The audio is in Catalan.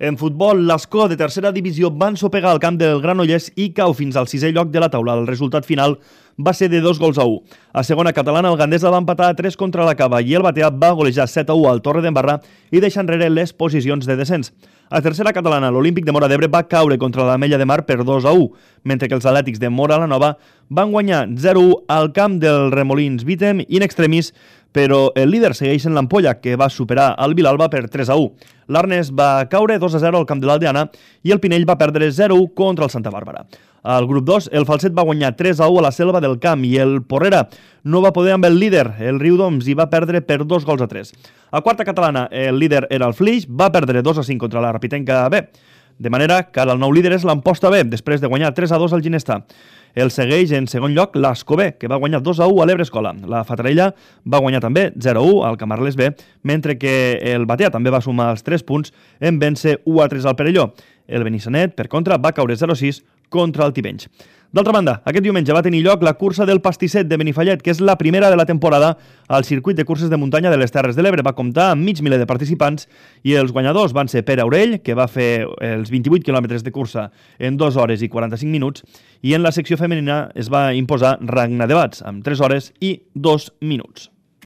En futbol, l'Escó de tercera divisió va ensopegar al camp del Granollers i cau fins al 6è lloc de la taula. El resultat final va ser de 2-1. A segona catalana, el Gandesa va empatar a 3 contra la Cava i el Batea va golejar 7-1 al Torre d'Embarra i deixar enrere les posicions de descens. A tercera catalana, l'Olímpic de Móra d'Ebre va caure contra l'Ametlla de Mar per 2-1, mentre que els Atlètics de Móra la Nova van guanyar 0-1 al camp del Remolins Vítem in extremis, però el líder segueix en l'Ampolla, que va superar el Vilalba per 3-1. L'Arnes va caure 2-0 al camp de l'Aldeana i el Pinell va perdre 0-1 contra el Santa Bàrbara. Al grup 2, el Falset va guanyar 3-1 a la Selva del Camp i el Porrera no va poder amb el líder, el Riudoms, i va perdre per 2-3. A quarta catalana, el líder era el Flix, va perdre 2-5 contra la Rapitenca B. De manera que ara el nou líder és l'Amposta B, després de guanyar 3-2 al Ginestà. El segueix en segon lloc l'Ascó B, que va guanyar 2-1 a l'Ebre Escola. La Fatarella va guanyar també 0-1 al Camarles B, mentre que el Batea també va sumar els 3 punts en vèncer 1-3 al Perelló. El Benissanet, per contra, va caure 0-6 contra el Tivenys. D'altra banda, aquest diumenge va tenir lloc la cursa del Pastisset de Benifallet, que és la primera de la temporada al circuit de curses de muntanya de les Terres de l'Ebre. Va comptar amb mig miler de participants i els guanyadors van ser Pere Aurell, que va fer els 28 quilòmetres de cursa en 2 hores i 45 minuts, i en la secció femenina es va imposar Ragna de Bats, amb 3 hores i 2 minuts.